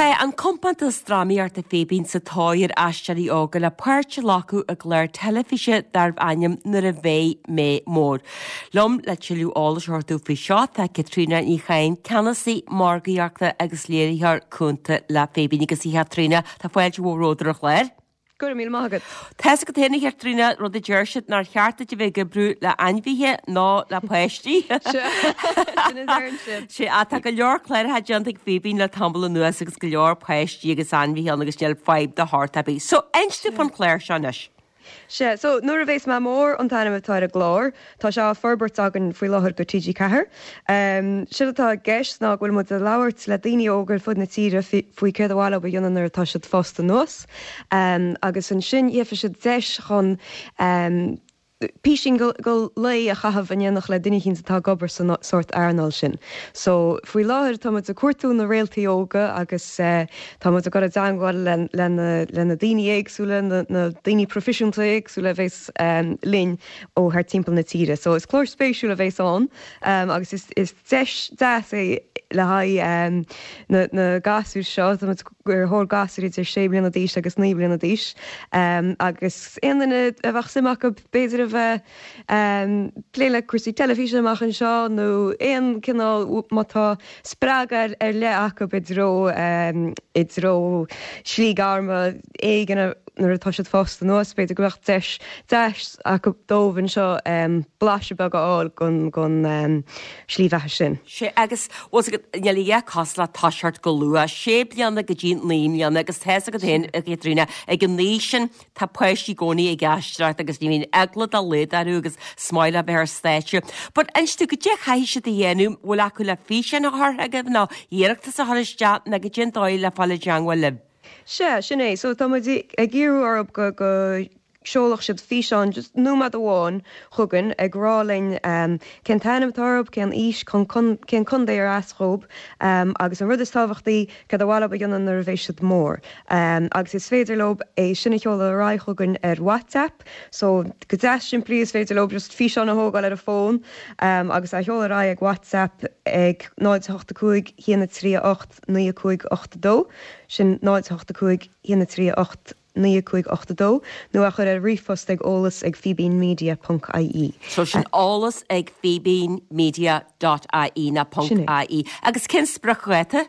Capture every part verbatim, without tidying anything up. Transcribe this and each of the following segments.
Tá an compántas drámaíochta Fíbín sa tóir ar aisteoirí óga le páirt a ghlacadh i gclár teilifíse darb ainm Nuair a Bheidh Mé Mór. Liom le tuilleadh eolais a thabhairt dúinn faoi seo tá Caitríona Ní Chadhain, Ceannasaí Margaíochta agus Léiritheoir Cúnta le Fíbín agus a Chaitríona, tá fáilte mhór romhat ar an chlár. Go raibh míle maith agat. Tá's agat féin a Chaitríona rud a deir siad nár cheart duit a bheith ag oibriú le ainmhithe ná le páistí. Sin a deireann siad. Sea, tá go leor cláracha déanta ag Fíbín le tamall anuas agus go leor páistí agus ainmhithe ann agus níl fadhb de shórt ar bith. So, inis dúinn fán chlár seo anois. Sea, so Nuair a Bheas Mé Mór an t-ainm atá ar an gclár. Tá sé á forbairt againn faoi láthair do TG Ceathair. Séard atá i gceist ná go bhfuil muid ag labhairt le daoine óga ar fud na tíre faoi céard a mhaith leo a dhéanamh nuair atá siad fásta anuas. Agus ansin gheobhaidh siad deis chun písín go lae a chaitheamh in éineacht le duine eicínt atá ag obair san sórt earnáil sin. So, faoi láthair tá muid ag cuartú na réaltaí óga agus tá muid ag dul i dteangmháil le le na le na daoine éagsúla, na na daoine proifisiúnta éagsúla a bheas linn ó thart timpeall na tíre. So, is clár spéisiúil a bheas ann agus is is deis deas é le haghaidh na na gasúir seo. Tá muid ar thóir gasúir idir sé bliana d'aois agus naoi bliana d'aois agus aon duine a bheadh suim acu b'fhéidir a bheith plé le cúrsaí teilifíse amach anseo nó aon cineál má tá spreagadh ar leith acu i dtreo i dtreo slí gairme éigin nuair atá siad fásta anuas, b'fhéidir go mbeadh deis deas acu dóibh anseo blaiseadh beag a fháil gon gon slí bheatha sin. Sea, agus bhfuil fhios agat, níl a dhath cosúil le toiseacht go luath, sé bliana go dtí naoi mbliana agus tá fhios agat féin, a Chaitríona, ag an aois sin tá páistí i gcónaí ag aisteoireacht agus ní bhíonn eagla dá laghad orthu agus is maith leo bheith ar stáitse. But inis dúinn, goidé a chaithfidh siad a dhéanamh, bhfuil acu le físeán a chur chugaibh nó iarratas a chur isteach nó goidé an dóigh le fáil i dteangmháil libh? Sea, sin é. So tá muid ag iarraidh orthu go go seolfadh siad físeán just nóiméad amháin chugainn ag rá linn cén t-ainm atá orthu, cén aois, cén contae ar as dhóibh agus an rud is tábhachtaí, céard a mhaith leo a dhéanamh nuair a bheidh siad mór. Agus is féidir leo é sin a sheoladh ar aghaidh chugainn ar WhatsApp. So go deas simplí is féidir leo just físeán a thógáil ar a bhfón agus é a sheoladh ar aghaidh ag WhatsApp ag náid a hocht a cúig, haon a trí a hocht, naoi a cúig ocht a dó, sin náid a hocht a cúig, haon a trí a hocht, naoi a cúig ocht a dó, nó a chur ar ríomhphost ag eolas ag fíbínmedia ponc ie. So sin eolas ag fíbínmedia dot ie ná ponc ie. Agus cén spriocdháta?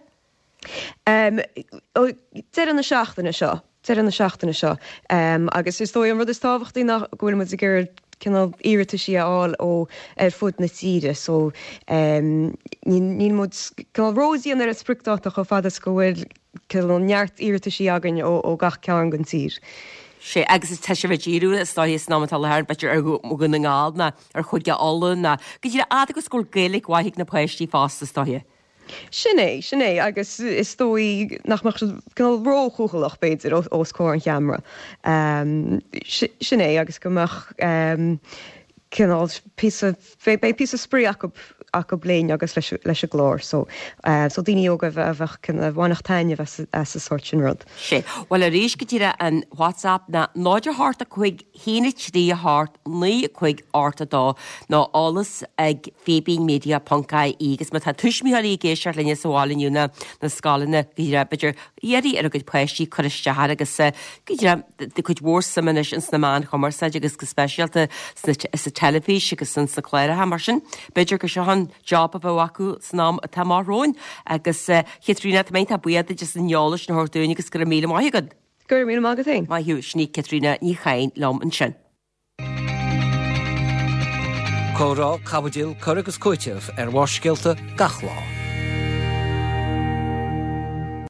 Deireadh na seachtaine seo, deireadh na seachtaine seo. Agus is dóigh an rud is tábhachtaí ná go bhfuil muid ag iarraidh cineál iarrataisí a fháil ó ar fud na tíre so níl muid cineál ródhian ar an spriocdáta chomh fada is go bhfuil cineál neart iarrataisí againn ó ó gach cearn den tír. Sea, agus is tá sibh ag díriú is dóigh san am atá i láthair b'fhéidir ar Dhún na nGall ná ar Chúige Uladh ná go díreach fhad agus go bhfuil Gaeilge mhaith ag na páistí fosta is dóiche. Sin é, sin é, agus is dóigh nach mbeadh siad cineál róchúthaileach, b'fhéidir, os comhair an cheamara. Sin é, agus go mbeadh cineál píosa, beidh píosa spraoi acu, acu linn agus leis, leis an gclár. So, so daoine óga a bheadh, a bhainfeadh taitneamh as, as an sórt sin rud. Sea. Bhuel arís go díreach an WhatsApp ná náid a hocht a cúig haon a trí a hocht naoi a cúig ocht a dó nó eolas ag fíbínmedia ponc ie agus má tá tuismitheoirí ag éisteacht linne sa bhaile inniu nó na scoileanna go díreach b'fhéidir iarraidh ar a gcuid páistí cur isteach air agus go díreach tá cuid mhór suim anois ins na meáin chumarsáide agus go speisialta sna sa teilifís agus ins na cláracha mar sin b'fhéidir gur seo an job a bheadh acu san am atá amach romhainn agus Chaitríona tá mé iontach buíoch duit as an eolas sin a thabhairt dúinn agus go raibh míle maith agat. Go raibh míle maith agat féin. Maith thú, sin í Caitríona Ní Chadhain liom ansin. Comhrá, caibidil, cur agus cúiteamh ar Bharrscéalta gach lá.